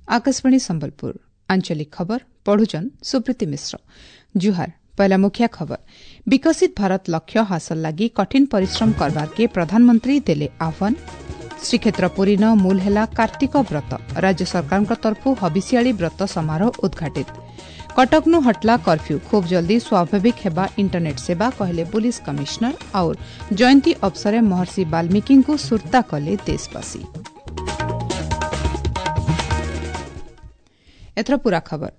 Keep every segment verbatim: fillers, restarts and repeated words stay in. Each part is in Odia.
ଆକାଶବାଣୀ ସମ୍ବଲପୁର ଆଞ୍ଚଳିକ ଖବର ପଢୁଛନ୍ ସୁପ୍ରୀତି ମିଶ୍ର ଜୁହାର ପହଲା ମୁଖ୍ୟ ଖବର ବିକଶିତ ଭାରତ ଲକ୍ଷ୍ୟ ହାସଲ ଲାଗି କଠିନ ପରିଶ୍ରମ କରବାରକେ ପ୍ରଧାନମନ୍ତ୍ରୀ ଦେଲେ ଆହ୍ୱାନ ଶ୍ରୀକ୍ଷେତ୍ର ପୁରୀନ ମୂଲ ହେଲା କାର୍ତ୍ତିକ ବ୍ରତ ରାଜ୍ୟ ସରକାରଙ୍କ ତରଫରୁ ହବିଷିଆଳି ବ୍ରତ ସମାରୋହ ଉଦ୍ଘାଟିତ କଟକନୁ ହଟଲା କର୍ଫ୍ୟୁ ଖୁବ୍ ଜଲ୍ଦି ସ୍ୱାଭାବିକ ହେବା ଇଣ୍ଟରନେଟ୍ ସେବା କହିଲେ ପୁଲିସ କମିଶନର और ଜୟନ୍ତୀ ଅବସରେ ମହର୍ଷି ବାଲ୍ମୀକିଙ୍କୁ ସୁର୍ତ୍ତା କଲେ ଦେଶବାସୀ ଏଥର ପୂରା ଖବର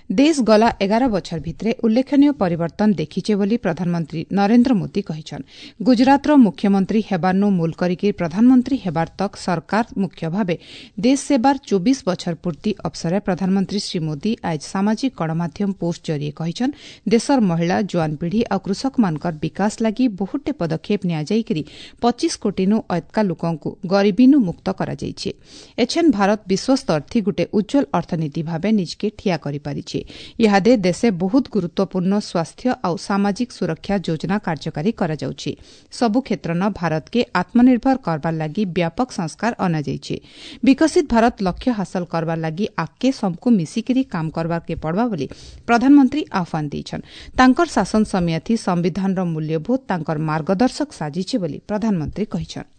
ଦେଶ ଗଲା ଏଗାର ବଛର ଭିତରେ ଉଲ୍ଲେଖନୀୟ ପରିବର୍ତ୍ତନ ଦେଖିଛେ ବୋଲି ପ୍ରଧାନମନ୍ତ୍ରୀ ନରେନ୍ଦ୍ର ମୋଦି କହିଛନ୍ ଗୁଜରାତର ମୁଖ୍ୟମନ୍ତ୍ରୀ ହେବାର୍ନୁ ମୂଲ କରିକି ପ୍ରଧାନମନ୍ତ୍ରୀ ହେବାର ତକ୍ ସରକାର ମୁଖ୍ୟ ଭାବେ ଦେଶ ସେବାର ଚବିଶ ବଛର ପୂର୍ତ୍ତି ଅବସରେ ପ୍ରଧାନମନ୍ତ୍ରୀ ଶ୍ରୀ ମୋଦି ଆଜ ସାମାଜିକ ଗଣମାଧ୍ୟମ ପୋଷ୍ଟ ଜରିଏ କହିଛନ୍ ଦେଶର ମହିଳା ଜୁଆନ ପିଢ଼ି ଆଉ କୃଷକମାନଙ୍କର ବିକାଶ ଲାଗି ବହୁତଟେ ପଦକ୍ଷେପ ନିଆଯାଇକରି ପଚିଶ କୋଟିନୁ ଅଏତ୍କା ଲୋକଙ୍କୁ ଗରିବୀନୁ ମୁକ୍ତ କରାଯାଇଛି ଏଛେନ୍ ଭାରତ ବିଶ୍ୱସ୍ତରଥି ଗୁଟେ ଉଜ୍ଜ୍ୱଳ ଅର୍ଥନୀତି ଭାବେ ନିଜକେ ଠିଆ କରିପାରିଛି ଇହାଦେ ଦେଶେ ବହୁତ ଗୁରୁତ୍ୱପୂର୍ଣ୍ଣ ସ୍ୱାସ୍ଥ୍ୟ ଆଉ ସାମାଜିକ ସୁରକ୍ଷା ଯୋଜନା କାର୍ଯ୍ୟକାରୀ କରାଯାଉଛି ସବୁ କ୍ଷେତ୍ରନ ଭାରତକେ ଆତ୍ମନିର୍ଭର କରବାର ଲାଗି ବ୍ୟାପକ ସଂସ୍କାର ଅଣାଯାଇଛି ବିକଶିତ ଭାରତ ଲକ୍ଷ୍ୟ ହାସଲ କରବାର ଲାଗି ଆଗକେ ସମକୁ ମିଶିକିରି କାମ କରବାରକେ ପଡ଼ବା ବୋଲି ପ୍ରଧାନମନ୍ତ୍ରୀ ଆହ୍ୱାନ ଦେଇଛନ୍ ତାଙ୍କର ଶାସନ ସମୟଥି ସମ୍ବିଧାନର ମୂଲ୍ୟବୋଧ ତାଙ୍କର ମାର୍ଗଦର୍ଶକ ସାଜିଛି ବୋଲି ପ୍ରଧାନମନ୍ତ୍ରୀ କହିଛନ୍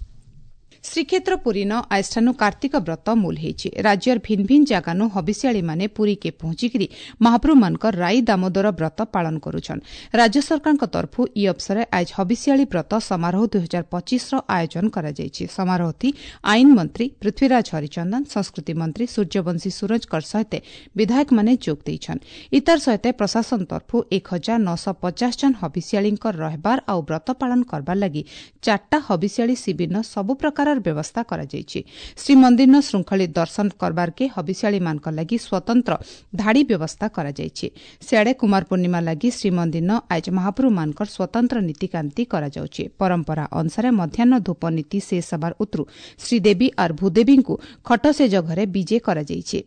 ଶ୍ରୀକ୍ଷେତ୍ର ପୁରୀନ ଆଜଠାନୁ କାର୍ତ୍ତିକ ବ୍ରତ ମୂଲ ହେଇଛି ରାଜ୍ୟର ଭିନ୍ ଭିନ୍ ଜାଗାନୁ ହବିଷିଆଳିମାନେ ପୁରୀକେ ପହଞ୍ଚିକିରି ମହାପ୍ରଭୁମାନଙ୍କର ରାଇ ଦାମୋଦର ବ୍ରତ ପାଳନ କରୁଛନ୍ ରାଜ୍ୟ ସରକାରଙ୍କ ତରଫରୁ ଇ ଅବସରେ ଆଜ ହବିଷିଆଳି ବ୍ରତ ସମାରୋହ ଦୁଇ ହଜାର ପଚିଶର ଆୟୋଜନ କରାଯାଇଛି ସମାରୋହଥି ଆଇନ ମନ୍ତ୍ରୀ ପୃଥ୍ୱୀରାଜ ହରିଚନ୍ଦନ ସଂସ୍କୃତି ମନ୍ତ୍ରୀ ସୂର୍ଯ୍ୟବଂଶୀ ସୁରଜଙ୍କର ସହିତ ବିଧାୟକମାନେ ଯୋଗ ଦେଇଛନ୍ ଇତାର ସହିତ ପ୍ରଶାସନ ତରଫରୁ ଏକ ହଜାର ନଅଶହ ପଚାଶ ଜଣ ହବିଷିଆଳିଙ୍କର ରହିବାର ଆଉ ବ୍ରତ ପାଳନ କରବାର ଲାଗି ଚାରିଟା ହବିଷିଆଳି ଶିବିରନ ସବୁ ପ୍ରକାରର ବ୍ୟବସ୍ଥା କରାଯାଇଛି ଶ୍ରୀମନ୍ଦିରନ ଶୃଙ୍ଖଳିତ ଦର୍ଶନ କରବାରକେ ହବିଷିଆଳିମାନଙ୍କ ଲାଗି ସ୍ୱତନ୍ତ୍ର ଧାଡ଼ି ବ୍ୟବସ୍ଥା କରାଯାଇଛି ସିଆଡ଼େ କୁମାର ପୂର୍ଣ୍ଣିମା ଲାଗି ଶ୍ରୀମନ୍ଦିରନ ଆଜ ମହାପ୍ରଭୁମାନଙ୍କର ସ୍ୱତନ୍ତ୍ର ନୀତିକାନ୍ତି କରାଯାଉଛି ପରମ୍ପରା ଅନୁସାରେ ମଧ୍ୟାହ୍ନ ଧୂପ ନୀତି ଶେଷ ହେବାର ଉତରୁ ଶ୍ରୀଦେବୀ ଆର୍ ଭୂଦେବୀଙ୍କୁ ଖଟଶେଜ ଘରେ ବିଜେ କରାଯାଇଛି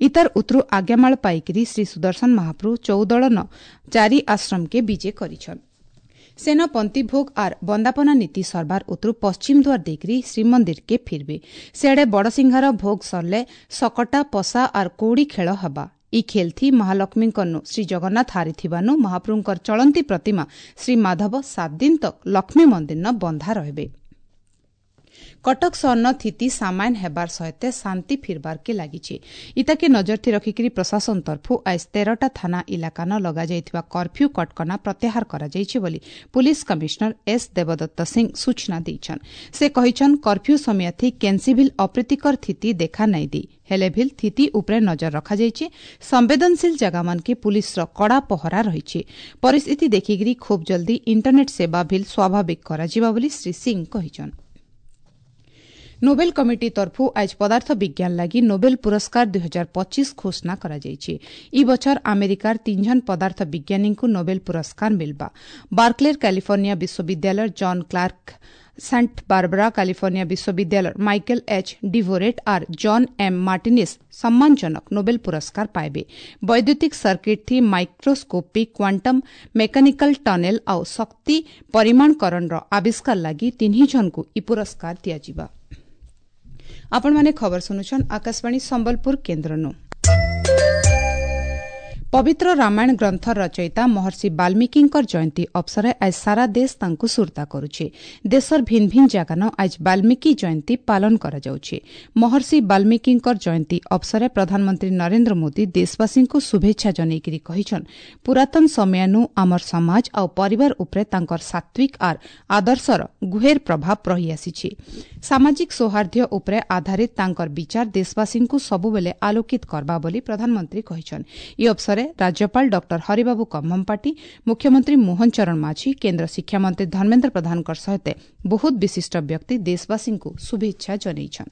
ଇତାର ଉତରୁ ଆଜ୍ଞାମାଳ ପାଇକିରି ଶ୍ରୀ ସୁଦର୍ଶନ ମହାପ୍ରଭୁ ଚଉଦଳନ ଚାରି ଆଶ୍ରମକେ ବିଜେ କରିଛନ୍ ସେନ ପନ୍ତିଭୋଗ ଆର୍ ବନ୍ଦାପନା ନୀତି ସରବାର ଉତରୁ ପଶ୍ଚିମ ଦ୍ୱାର ଦେଇକରି ଶ୍ରୀମନ୍ଦିରକେ ଫିରବେ ସିଆଡ଼େ ବଡ଼ସିଂହାର ଭୋଗ ସରଲେ ସକଟା ପଶା ଆର୍ କଉଡ଼ି ଖେଳ ହେବା ଇ ଖେଲ୍ଥି ମହାଲକ୍ଷ୍ମୀଙ୍କନୁ ଶ୍ରୀଜଗନ୍ନାଥ ହାରିଥିବାନୁ ମହାପ୍ରଭୁଙ୍କର ଚଳନ୍ତି ପ୍ରତିମା ଶ୍ରୀ ମାଧବ ସାତ ଦିନ ତକ୍ ଲକ୍ଷ୍ମୀ ମନ୍ଦିରନ ବନ୍ଧା ରହିବେ କଟକ ସହରନ ସ୍ଥିତି ସାମାନ୍ୟ ହେବାର ସହିତ ଶାନ୍ତି ଫିରବାରକେ ଲାଗିଛି ଇତାକେ ନଜରଥି ରଖିକିରି ପ୍ରଶାସନ ତରଫରୁ ଆଜ ତେରଟା ଥାନା ଇଲାକାନ ଲଗାଯାଇଥିବା କର୍ଫ୍ୟୁ କଟକଣା ପ୍ରତ୍ୟାହାର କରାଯାଇଛି ବୋଲି ପୁଲିସ କମିଶନର ଏସ୍ ଦେବଦତ୍ତ ସିଂ ସୂଚନା ଦେଇଛନ୍ ସେ କହିଛନ୍ କର୍ଫ୍ୟୁ ସମୟଥି କେନ୍ସିଭିଲ୍ ଅପ୍ରୀତିକର ସ୍ଥିତି ଦେଖା ନାଇଁ ଦେଇ ହେଲେ ଭିଲ୍ ସ୍ଥିତି ଉପରେ ନଜର ରଖାଯାଇଛି ସମ୍ବେଦନଶୀଳ ଜାଗାମାନକେ ପୁଲିସର କଡ଼ା ପହରା ରହିଛି ପରିସ୍ଥିତି ଦେଖିକିରି ଖୁବ୍ ଜଲ୍ଦି ଇଣ୍ଟରନେଟ୍ ସେବା ଭିଲ୍ ସ୍ୱାଭାବିକ କରାଯିବ ବୋଲି ଶ୍ରୀ ସିଂ କହିଛନ୍ ନୋବେଲ କମିଟି ତରଫରୁ ଆଜ ପଦାର୍ଥ ବିଜ୍ଞାନ ଲାଗି ନୋବେଲ ପୁରସ୍କାର ଦୁଇ ହଜାର ପଚିଶ ଘୋଷଣା କରାଯାଇଛି ଇ ବଛର ଆମେରିକାର ତିନିଜଣ ପଦାର୍ଥ ବିଜ୍ଞାନୀଙ୍କୁ ନୋବେଲ ପୁରସ୍କାର ମିଲବା ବାର୍କଲେର କାଲିଫର୍ଣ୍ଣିଆ ବିଶ୍ୱବିଦ୍ୟାଳୟର ଜନ୍ କ୍ଲାର୍କ ସେଣ୍ଟ ବାରବରା କାଲିଫର୍ଣ୍ଣିଆ ବିଶ୍ୱବିଦ୍ୟାଳୟର ମାଇକେଲ ଏଚ୍ ଡିଭୋରେଟ୍ ଆର୍ ଜନ୍ ଏମ୍ ମାର୍ଟିନିସ୍ ସମ୍ମାନଜନକ ନୋବେଲ ପୁରସ୍କାର ପାଇବେ ବୈଦ୍ୟୁତିକ ସର୍କିଟ୍ ଥି ମାଇକ୍ରୋସ୍କୋପିକ୍ କ୍ୱାଣ୍ଟମ୍ ମେକାନିକାଲ ଟନେଲ ଆଉ ଶକ୍ତି ପରିମାଣକରଣର ଆବିଷ୍କାର ଲାଗି ତିନି ଜଣଙ୍କୁ ଇ ପୁରସ୍କାର ଦିଆଯିବା ଆପଣମାନେ ଖବର ଶୁଣୁଛନ୍ ଆକାଶବାଣୀ ସମ୍ବଲପୁର କେନ୍ଦ୍ରନୁ ପବିତ୍ର ରାମାୟଣ ଗ୍ରନ୍ଥର ରଚୟିତା ମହର୍ଷି ବାଲ୍ମୀକିଙ୍କର ଜୟନ୍ତୀ ଅବସରେ ଆଜ ସାରା ଦେଶ ତାଙ୍କୁ ସୁର୍ତ୍ତା କରୁଛି ଦେଶର ଭିନ୍ ଭିନ୍ ଜାଗାନ ଆଜ ବାଲ୍ମୀକି ଜୟନ୍ତୀ ପାଳନ କରାଯାଉଛି ମହର୍ଷି ବାଲ୍ମୀକିଙ୍କର ଜୟନ୍ତୀ ଅବସରେ ପ୍ରଧାନମନ୍ତ୍ରୀ ନରେନ୍ଦ୍ର ମୋଦି ଦେଶବାସୀଙ୍କୁ ଶୁଭେଚ୍ଛା ଜଣାଇକରି କହିଛନ୍ ପୁରାତନ ସମୟାନୁ ଆମର ସମାଜ ଆଉ ପରିବାର ଉପରେ ତାଙ୍କର ସାତ୍ୱିକ ଆର୍ ଆଦର୍ଶର ଗୁହେର ପ୍ରଭାବ ରହିଆସିଛି ସାମାଜିକ ସୌହାର୍ଦ୍ଦ୍ୟ ଉପରେ ଆଧାରିତ ତାଙ୍କର ବିଚାର ଦେଶବାସୀଙ୍କୁ ସବୁବେଳେ ଆଲୋକିତ କରବା ବୋଲି ପ୍ରଧାନମନ୍ତ୍ରୀ କହିଛନ୍ ଏହି ଅବସରେ ରାଜ୍ୟପାଳ ଡକ୍ଟର ହରିବାବୁ କମ୍ଭମପାଟି ମୁଖ୍ୟମନ୍ତ୍ରୀ ମୋହନ ଚରଣ ମାଝୀ କେନ୍ଦ୍ର ଶିକ୍ଷାମନ୍ତ୍ରୀ ଧର୍ମେନ୍ଦ୍ର ପ୍ରଧାନଙ୍କ ସହିତ ବହୁତ ବିଶିଷ୍ଟ ବ୍ୟକ୍ତି ଦେଶବାସୀଙ୍କୁ ଶୁଭେଚ୍ଛା ଜଣାଇଛନ୍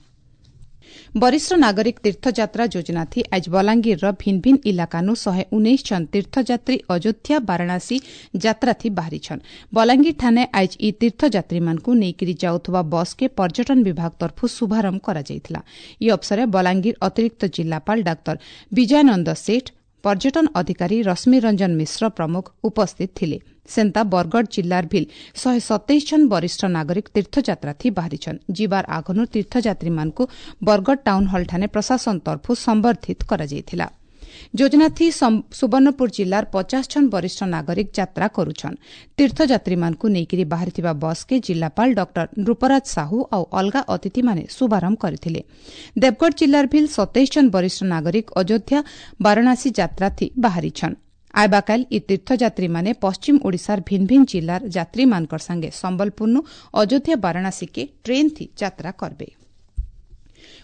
ବରିଷ୍ଠ ନାଗରିକ ତୀର୍ଥଯାତ୍ରା ଯୋଜନାଥି ଆଜ ବଲାଙ୍ଗୀରର ଭିନ୍ ଭିନ୍ ଇଲାକାନୁ ଶହେ ଉଣେଇଶ ଜଣ ତୀର୍ଥଯାତ୍ରୀ ଅଯୋଧ୍ୟା ବାରାଣାସୀ ଯାତ୍ରାଥି ବାହାରିଛନ୍ ବଲାଙ୍ଗୀର ଠାନେ ଆଜ ଇ ତୀର୍ଥଯାତ୍ରୀମାନଙ୍କୁ ନେଇକରି ଯାଉଥିବା ବସ୍କେ ପର୍ଯ୍ୟଟନ ବିଭାଗ ତରଫରୁ ଶୁଭାରମ୍ଭ କରାଯାଇଥିଲା ଏହି ଅବସରେ ବଲାଙ୍ଗୀର ଅତିରିକ୍ତ ଜିଲ୍ଲାପାଳ ଡାକ୍ତର ବିଜୟାନନ୍ଦ ସେଠ ପର୍ଯ୍ୟଟନ ଅଧିକାରୀ ରଶ୍ମିରଞ୍ଜନ ମିଶ୍ର ପ୍ରମୁଖ ଉପସ୍ଥିତ ଥିଲେ। ସେନ୍ତା ବରଗଡ଼ ଜିଲ୍ଲାର ଭିଲ୍ ଶହେ ସତେଇଶ ଜଣ ବରିଷ୍ଠ ନାଗରିକ ତୀର୍ଥଯାତ୍ରାଥି ବାହାରିଛନ୍। ଯିବାର ଆଗନୁ ତୀର୍ଥଯାତ୍ରୀମାନଙ୍କୁ ବରଗଡ଼ ଟାଉନ୍ ହଲ୍ଠାନେ ପ୍ରଶାସନ ତରଫରୁ ସମ୍ବର୍ଦ୍ଧିତ କରାଯାଇଥିଲା। ଯୋଜନାଥି ସୁବର୍ଣ୍ଣପୁର ଜିଲ୍ଲାର ପଚାଶ ଜଣ ବରିଷ୍ଠ ନାଗରିକ ଯାତ୍ରା କରୁଛନ୍। ତୀର୍ଥଯାତ୍ରୀମାନଙ୍କୁ ନେଇକରି ବାହାରିଥିବା ବସ୍କେ ଜିଲ୍ଲାପାଳ ଡକ୍ଟର ନୃପରାଜ ସାହୁ ଆଉ ଅଲଗା ଅତିଥିମାନେ ଶୁଭାରମ୍ଭ କରିଥିଲେ। ଦେବଗଡ଼ ଜିଲ୍ଲାର ଭିଲ୍ ସତେଇଶ ଜଣ ବରିଷ୍ଠ ନାଗରିକ ଅଯୋଧ୍ୟା ବାରାଣସୀ ଯାତ୍ରାଥି ବାହାରିଛନ୍। ଆଇବାକାଲ ଇ ତୀର୍ଥଯାତ୍ରୀମାନେ ପଶ୍ଚିମ ଓଡ଼ିଶାର ଭିନ୍ ଭିନ୍ ଜିଲ୍ଲାର ଯାତ୍ରୀମାନଙ୍କର ସାଙ୍ଗେ ସମ୍ବଲପୁରନୁ ଅଯୋଧ୍ୟା ବାରାଣସୀକେ ଟ୍ରେନ୍ଥି ଯାତ୍ରା କରବେ।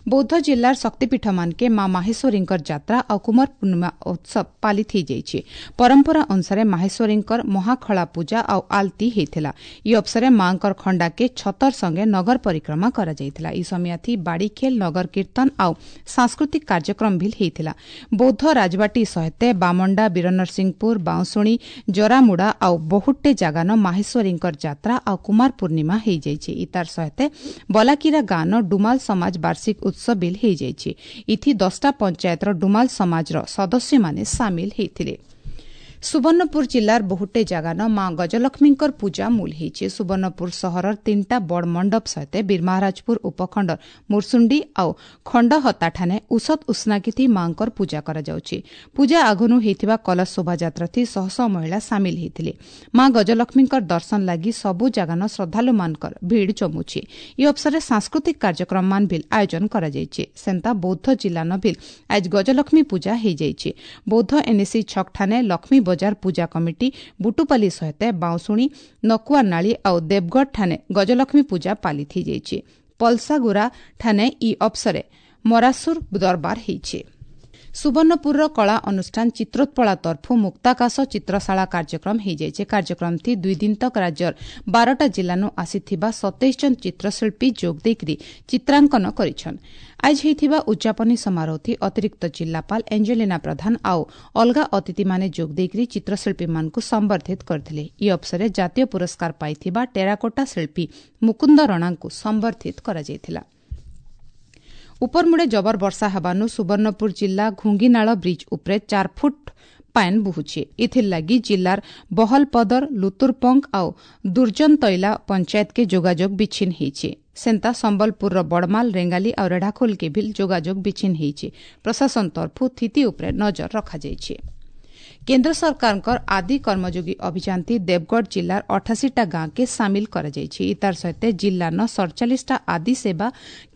ବୌଦ୍ଧ ଜିଲ୍ଲାର ଶକ୍ତିପୀଠମାନକେ ମା ମାହେଶ୍ୱରୀଙ୍କର ଯାତ୍ରା ଆଉ କୁମାର ପୂର୍ଣ୍ଣିମା ଉତ୍ସବ ପାଳିତ ହୋଇଯାଇଛି। ପରମ୍ପରା ଅନୁସାରେ ମାହେଶ୍ୱରୀଙ୍କର ମହାଖଳା ପୂଜା ଆଉ ଆଳତୀ ହେଇଥିଲା। ଇ ଅବସରେ ମାଙ୍କର ଖଣ୍ଡାକେ ଛତର ସଙ୍ଗେ ନଗର ପରିକ୍ରମା କରାଯାଇଥିଲା। ଇ ସମିଆଥି ବାଡ଼ିଖେଲ, ନଗର କୀର୍ତ୍ତନ ଆଉ ସାଂସ୍କୃତିକ କାର୍ଯ୍ୟକ୍ରମ ଭିଲ୍ ହେଇଥିଲା। ବୌଦ୍ଧ ରାଜବାଟୀ ସହିତେ ବାମଣ୍ଡା, ବୀରନରସିଂହପୁର, ବାଉଁଶୁଣୀ, ଜରାମୁଡ଼ା ଆଉ ବହୁତଟେ ଜାଗାନ ମାହେଶ୍ୱରୀଙ୍କର ଯାତ୍ରା ଆଉ କୁମାର ପୂର୍ଣ୍ଣିମା ହେଇଯାଇଛି। ଇତାର ସହିତେ ବଲାକିରା ଗାଁନ ଡୁମାଲ ସମାଜ ବାର୍ଷିକ ଉତ୍ସବ ବିଲ୍ ହେଇଯାଇଛି। ଇଥି ଦଶଟା ପଞ୍ଚାୟତର ଡୁମାଲ ସମାଜର ସଦସ୍ୟମାନେ ସାମିଲ ହେଇଥିଲେ। ସୁବର୍ଣ୍ଣପୁର ଜିଲ୍ଲାର ବହୁଟେ ଜାଗାନ ମା ଗଜଲକ୍ଷ୍ମୀଙ୍କର ପୂଜା ମୂଲ ହେଇଛି। ସୁବର୍ଣ୍ଣପୁର ସହରର ତିନିଟା ବଡ଼ ମଣ୍ଡପ ସହିତ ବୀରମହାରାଜପୁର ଉପଖଣ୍ଡ ମୁର୍ସୁଣ୍ଡି ଆଉ ଖଣ୍ଡହତାଠାନେ ଉସତ ଉଷ୍ଣାକିଥି ମାଙ୍କର ପୂଜା କରାଯାଉଛି। ପୂଜା ଆଗନୁ ହେଇଥିବା କଲଶ ଶୋଭାଯାତ୍ରାଥି ଶହ ଶହ ମହିଳା ସାମିଲ ହେଇଥିଲେ। ମା ଗଜଲକ୍ଷ୍ମୀଙ୍କର ଦର୍ଶନ ଲାଗି ସବୁ ଜାଗାନ ଶ୍ରଦ୍ଧାଳୁମାନଙ୍କର ଭିଡ଼ ଜମୁଛି। ଇ ଅବସରରେ ସାଂସ୍କୃତିକ କାର୍ଯ୍ୟକ୍ରମମାନ ଭିଲ୍ ଆୟୋଜନ କରାଯାଇଛି। ସେନ୍ତା ବୌଦ୍ଧ ଜିଲ୍ଲାନ ଭିଲ୍ ଆଜ ଗଜଲକ୍ଷ୍ମୀ ପୂଜା ହେଇଯାଇଛି। ବୌଦ୍ଧ ଏନ୍ଏସି ଛକଠାନେ ଲକ୍ଷ୍ମୀ ବଜାର ପୂଜା କମିଟି ବୁଟୁପାଲି ସହିତ ବାଉଁଶୁଣୀ, ନକୁଆନାଳି ଆଉ ଦେବଗଡ଼ ଠାନେ ଗଜଲକ୍ଷ୍ମୀ ପୂଜା ପାଳିତ ହେଇଯାଇଛି। ପଲସାଗୁରା ଠାନେ ଇ ଅବସରେ ମରାସୁର ଦରବାର ହେଇଛି। ସୁବର୍ଣ୍ଣପୁରର କଳା ଅନୁଷ୍ଠାନ ଚିତ୍ରୋତ୍ପଳା ତରଫୁ ମୁକ୍ତାକାଶ ଚିତ୍ରଶାଳା କାର୍ଯ୍ୟକ୍ରମ ହେଇଯାଇଛି। କାର୍ଯ୍ୟକ୍ରମଥି ଦୁଇ ଦିନ ତକ ରାଜ୍ୟର ବାରଟା ଜିଲ୍ଲାନୁ ଆସିଥିବା ସତେଇଶ ଜଣ ଚିତ୍ରଶିଳ୍ପୀ ଯୋଗ ଦେଇକରି ଚିତ୍ରାଙ୍କନ କରିଛନ୍। ଆଜ ହେଇଥିବା ଉଦ୍ଯାପନୀ ସମାରୋହଥି ଅତିରିକ୍ତ ଜିଲ୍ଲାପାଳ ଏଞ୍ଜେଲିନା ପ୍ରଧାନ ଆଉ ଅଲଗା ଅତିଥିମାନେ ଯୋଗ ଦେଇକରି ଚିତ୍ରଶିଳ୍ପୀମାନଙ୍କୁ ସମ୍ବର୍ଦ୍ଧିତ କରିଥିଲେ। ଇ ଅବସରରେ ଜାତୀୟ ପୁରସ୍କାର ପାଇଥିବା ଟେରାକୋଟା ଶିଳ୍ପୀ ମୁକୁନ୍ଦ ରଣାଙ୍କୁ ସମ୍ବର୍ଦ୍ଧିତ କରାଯାଇଥିଲା। ଉପରମୁଡ଼େ ଜବର ବର୍ଷା ହେବାନୁ ସୁବର୍ଣ୍ଣପୁର ଜିଲ୍ଲା ଘୁଙ୍ଗିନାଳ ବ୍ରିଜ୍ ଉପରେ ଚାର ଫୁଟ ପାଏନ୍ ବହୁଛି। ଏଥିର୍ଲାଗି ଜିଲ୍ଲାର ବହଲପଦର, ଲୁତୁରପଙ୍କ ଆଉ ଦୁର୍ଜନତୈଲା ପଞ୍ଚାୟତକେ ଯୋଗାଯୋଗ ବିଚ୍ଛିନ୍ନ ହେଇଛି। ସେନ୍ତା ସମ୍ବଲପୁରର ବଡ଼ମାଲ, ରେଙ୍ଗାଲି ଆଉ ରେଢ଼ାଖୋଲକେ ଭିଲ୍ ଯୋଗାଯୋଗ ବିଚ୍ଛିନ୍ନ ହେଇଛି। ପ୍ରଶାସନ ତରଫୁ ସ୍ଥିତି ଉପରେ ନଜର ରଖାଯାଇଛି। କେନ୍ଦ୍ର ସରକାରଙ୍କର ଆଦି କର୍ମଯୋଗୀ ଅଭିଯାନଥି ଦେବଗଡ଼ ଜିଲ୍ଲାର ଅଠାଅଶୀଟା ଗାଁକେ ସାମିଲ କରାଯାଇଛି। ଇତାର ସହିତ ଜିଲ୍ଲାନ ସଡ଼ଚାଳିଶଟା ଆଦି ସେବା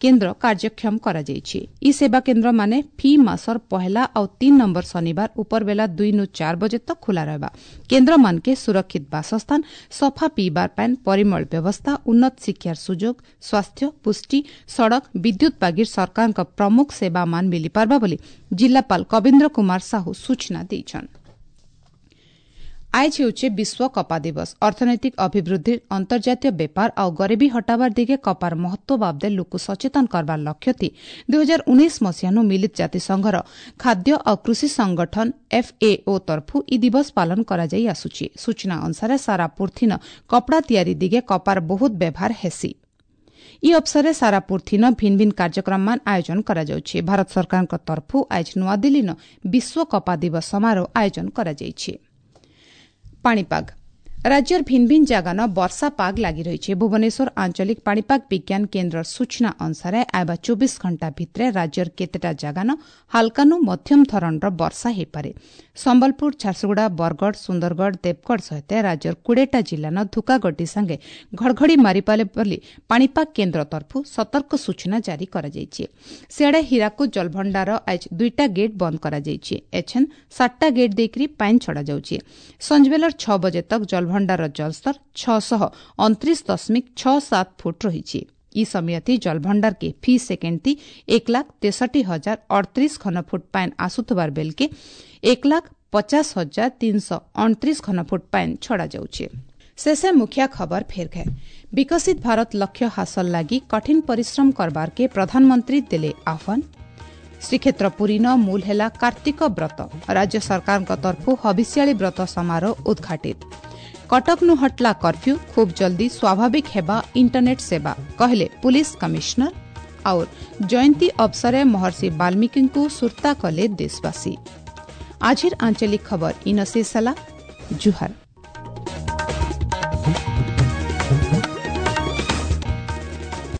କେନ୍ଦ୍ର କାର୍ଯ୍ୟକ୍ଷମ କରାଯାଇଛି। ଇ ସେବା କେନ୍ଦ୍ରମାନେ ଫି ମାସର ପହେଲା ଆଉ ତିନି ନମ୍ବର ଶନିବାର ଉପରବେଲା ଦୁଇନୁ ଚାର ବଜେ ତକ ଖୋଲା ରହିବା। କେନ୍ଦ୍ରମାନକେ ସୁରକ୍ଷିତ ବାସସ୍ଥାନ, ସଫା ପିଇବାର ପାଏନ୍, ପରିମଳ ବ୍ୟବସ୍ଥା, ଉନ୍ନତ ଶିକ୍ଷାର ସୁଯୋଗ, ସ୍ୱାସ୍ଥ୍ୟ, ପୁଷ୍ଟି, ସଡ଼କ, ବିଦ୍ୟୁତ୍ ବାଗିର ସରକାରଙ୍କ ପ୍ରମୁଖ ସେବାମାନ ମିଳିପାରବା ବୋଲି ଜିଲ୍ଲାପାଳ କବୀନ୍ଦ୍ର କୁମାର ସାହୁ ସୂଚନା ଦେଇଛନ୍। ଆଏଜ ହେଉଛେ ବିଶ୍ୱ କପା ଦିବସ। ଅର୍ଥନୈତିକ ଅଭିବୃଦ୍ଧି, ଅନ୍ତର୍ଜାତୀୟ ବେପାର ଆଉ ଗରିବୀ ହଟାବାର ଦିଗେ କପାର ମହତ୍ୱ ବାବଦେ ଲୋକ ସଚେତନ କରବାର ଲକ୍ଷ୍ୟଥି ଦୁଇ ହଜାର ଉଣେଇଶ ମସିହାନୁ ମିଳିତ ଜାତିସଂଘର ଖାଦ୍ୟ ଆଉ କୃଷି ସଂଗଠନ ଏଫ୍ଏଓ ତରଫୁ ଇ ଦିବସ ପାଳନ କରାଯାଇ ଆସୁଛି। ସୂଚନା ଅନୁସାରେ ସାରା ପୃଥିନ କପଡ଼ା ତିଆରି ଦିଗେ କପାର ବହୁତ ବ୍ୟବହାର ହେସି। ଇ ଅବସରରେ ସାରା ପୃଥିନ ଭିନ୍ ଭିନ୍ କାର୍ଯ୍ୟକ୍ରମମାନ ଆୟୋଜନ କରାଯାଉଛି। ଭାରତ ସରକାରଙ୍କ ତରଫୁ ଆଜ ନୂଆଦିଲ୍ଲୀନ ବିଶ୍ୱ କପା ଦିବସ ସମାରୋହ ଆୟୋଜନ କରାଯାଇଛି। ପାଣିପାଗ ରାଜ୍ୟର ଭିନ୍ ଭିନ୍ ଜାଗାନ ବର୍ଷା ପାଗ ଲାଗି ରହିଛି। ଭୁବନେଶ୍ୱର ଆଞ୍ଚଳିକ ପାଣିପାଗ ବିଜ୍ଞାନ କେନ୍ଦ୍ରର ସୂଚନା ଅନୁସାରେ ଆଇବା ଚବିଶ ଘଣ୍ଟା ଭିତରେ ରାଜ୍ୟର କେତେଟା ଜାଗାନ ହାଲକାନୁ ମଧ୍ୟମ ଧରଣର ବର୍ଷା ହୋଇପାରେ। ସମ୍ବଲପୁର, ଝାରସୁଗୁଡ଼ା, ବରଗଡ଼, ସୁନ୍ଦରଗଡ଼, ଦେବଗଡ଼ ସହିତ ରାଜ୍ୟର କୋଡ଼ିଏଟା ଜିଲ୍ଲାନ ଧୁକାଗଡ଼ି ସାଙ୍ଗେ ଘଡ଼ଘଡ଼ି ମାରିପାରେ ବୋଲି ପାଣିପାଗ କେନ୍ଦ୍ର ତରଫରୁ ସତର୍କ ସୂଚନା ଜାରି କରାଯାଇଛି। ସିଆଡ଼େ ହୀରାକୁଦ ଜଳଭଣ୍ଡାର ଆଜ ଦୁଇଟା ଗେଟ୍ ବନ୍ଦ କରାଯାଇଛି। ଏଛେନ୍ ସାତଟା ଗେଟ୍ ଦେଇକରି ପାଣି ଛଡ଼ାଯାଉଛି। ସଞ୍ଜବେଲର ଛଅ ବଜେ ତକ ଜଳଭଣ୍ଡାର ଜଳସ୍ତର ଛଅଶହ ଅଣତିରିଶ ଦଶମିକ ଛଅ ସାତ ଫୁଟ ରହିଛି। ଇ ସମିଆତି ଜଳଭଣ୍ଡାରକେ ଫି ସେକେଣ୍ଡ ଏକ ଲାଖ ତେଷଠି ହଜାର ଅଠତିରିଶ ଘନଫୁଟ ପାଏନ୍ ଆସୁଥିବାର ବେଲକେ ଏକ ଲାଖ ପଚାଶ ହଜାର ତିନିଶହ ଅଣତିରିଶ ଘନଫୁଟ ପାଏନ୍ ଛଡ଼ାଯାଉଛି। ଶେଷେ ମୁଖ୍ୟ ଖବର ଫେର ଘେ। ବିକଶିତ ଭାରତ ଲକ୍ଷ୍ୟ ହାସଲ ଲାଗି କଠିନ ପରିଶ୍ରମ କରବାର କେ ପ୍ରଧାନମନ୍ତ୍ରୀ ଦେଲେ ଆହ୍ୱାନ। ଶ୍ରୀକ୍ଷେତ୍ର ପୁରୀନ ମୂଲ ହେଲା କାର୍ତ୍ତିକ ବ୍ରତ। ରାଜ୍ୟ ସରକାରଙ୍କ ତରଫୁ ହବିଷ୍ୟାଳୀ ବ୍ରତ ସମାରୋହ ଉଦ୍ଘାଟିତ। କଟକନୁ ହଟଲା କର୍ଫ୍ୟୁ, ଖୁବ୍ ଜଲ୍ଦି ସ୍ୱାଭାବିକ ହେବା ଇଣ୍ଟରନେଟ୍ ସେବା, କହିଲେ ପୁଲିସ କମିଶନର। और ଜୟନ୍ତୀ ଅବସରେ ମହର୍ଷି ବାଲ୍ମୀକିଙ୍କୁ ସୁର୍ତ୍ତା କଲେ ଦେଶବାସୀ। ଆଜିର ଆଞ୍ଚଳିକ ଖବର ଇନ ଶେଷ ହେଲା। ଜୁହାର।